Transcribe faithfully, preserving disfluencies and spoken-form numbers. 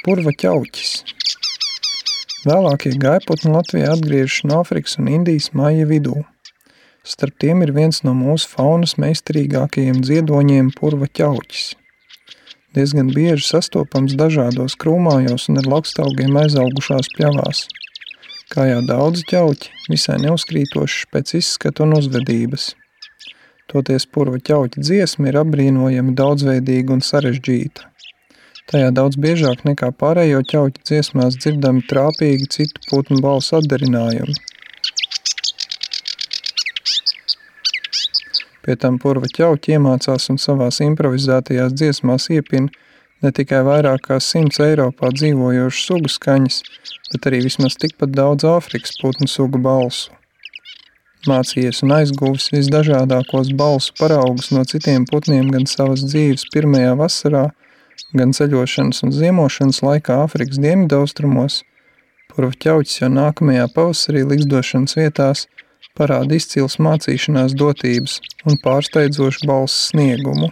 Purva ķauķis. Vēlākie gaiputni Latvijā atgriežas no Āfrikas un Indijas maija vidū. Starp tiem ir viens no mūsu faunas meistarīgākajiem dziedoņiem purva ķauķis. Diezgan bieži sastopams dažādos krūmājos un ar lakstaugiem aizaugušās pļavās. Kā jau daudzi ķauķi, visai neuzkrītošs pēc izskata un uzvedības. Toties purva ķauķa dziesma ir apbrīnojami daudzveidīga un sarežģīta. Tajā daudz biežāk nekā pārējo ķauķu dziesmās dzirdami trāpīgi citu putnu balsu atdarinājumi. Pie tam purva ķauķi iemācās un savās improvizētajās dziesmās iepina ne tikai vairāk kā simts Eiropā dzīvojošu sugu skaņas, bet arī vismaz tikpat daudz Āfrikas putnu sugu balsu. Mācījies un aizguvis visdažādākos balsu paraugus no citiem putniem gan savas dzīves pirmajā vasarā, gan ceļošanas un ziemošanas laikā Āfrikas dienvidaustrumos, purva ķauķis jau nākamajā pavasarī ligzdošanas vietās parāda izcils mācīšanās dotības un pārsteidzošu balss sniegumu.